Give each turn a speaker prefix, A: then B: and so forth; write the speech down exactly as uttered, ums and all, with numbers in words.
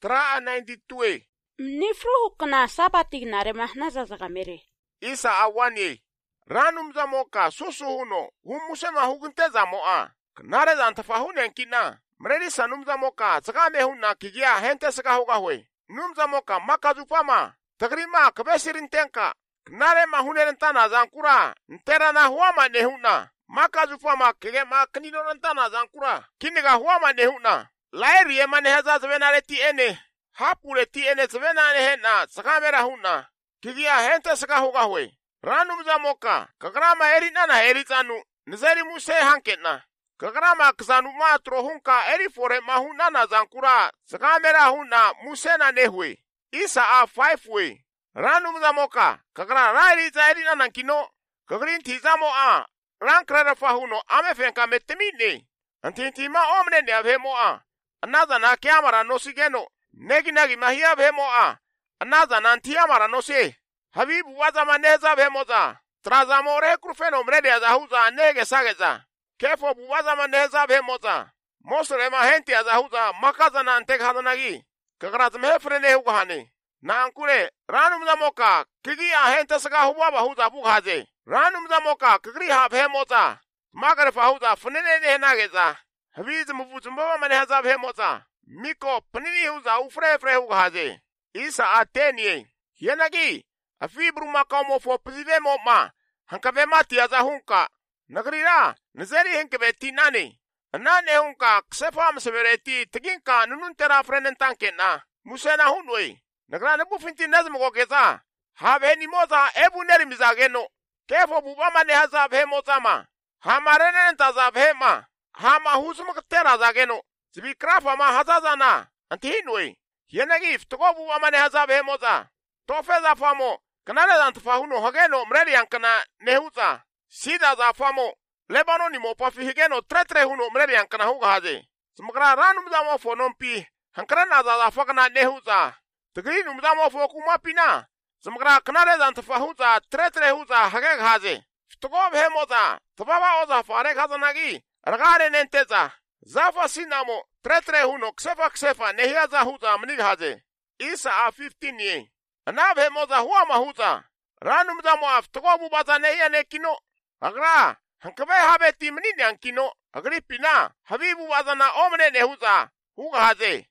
A: Tra ninety-two.
B: Mnifruhu kana sabati na remahnaza zagamere.
A: Isa awani. Ranum zamoka susu huno. Humusema hugunte zamoa. Knare zantafahunen kina. Mredi sanum zamoka zagame huna kigia hente saka hugahwe. Num zamoka makazupama. Tagrima kabesirin tenka. Knare mahunen tana zankura. Ntera na huama nehuna. Makazupama kige maknino tana zankura. Kiniga huama nehuna. Lairi emane heza zvenare ti ene. Hapule ti ene zvenare hena. Sakamera huna. Kigia hente saka hugahwe. Ranum zamoka. Kagrama erina na erizanu. Nizeri muse hanketna. Kagrama kzanu matro hunka eri fore mahuna na zankura. Sakamera huna musena nehwe. Isa a five way. Ranum zamoka. Kagra rairi za erina nankino. Kagrin tizamo a. Rankrera fahuno amefenka metemine. Antintima omne ne avemo a. Anaza na kiamara no sigeno. Negi nagi mahia avemo a. Anaza na antiamara no se. Habibu waza maneza vemoza. Trazamore krufeno mrede azahuza nege sageza. Kefo buwaza maneza vemoza. Mosre mahenti azahuza makaza na anteg hadanagi. Kagraz mehefrene hugahane. Na ankure ranum zamoka kigi ahente saga huwa huza bughaze. Ranum zamoka kigri ha vemoza. Magare fahuza funene ne nageza. Habiz muvuzumba maneza vemoza. Miko panini huza ufre fre hugaze. Isa atenie. Yenagi. Afibru makamo fo pzivemo ma. Hankave mati aza hunka. Nagrira. Nzeri henkeve tinane. Anane hunka ksefam severeti. Teginka nununtera frenen tanke na. Musena hunwe. Nagra nebu finti nazmo gokeza. Have ni moza ebu neri mizageno. Kefo bubama ne hazab he moza ma. Hamarenen tazab he ma. Hama husum ktera zageno. Zibi krafa ma hazazana. Antihinwe. Yenagi ftoko bubama ne hazab he moza. Tofeza famo. Kanale zantafahuno hageno mreli yankana nehuza. Sida za famo. Lebano ni mopafi higeno tretre huno mreli yankana huga haze. Smakra ranum za mofo nompi. Hankrana za za fakana nehuza. Tagri num za mofo kumapina. Smakra kanale zantafahuza tretre huza hageg haze. Ftogob hemoza. Tababa oza farek hazanagi. Ragare nenteza. Zafa sinamo tretre huno ksefa ksefa nehia za huza mnig haze. Isa a fifteen ye. Anave moza huwa mahuza. Ranum za moaf togobu baza neya nekino. Agra. Hankabe habe timni nyankino. Agri pina. Habibu baza na omne nehuza. Huga haze.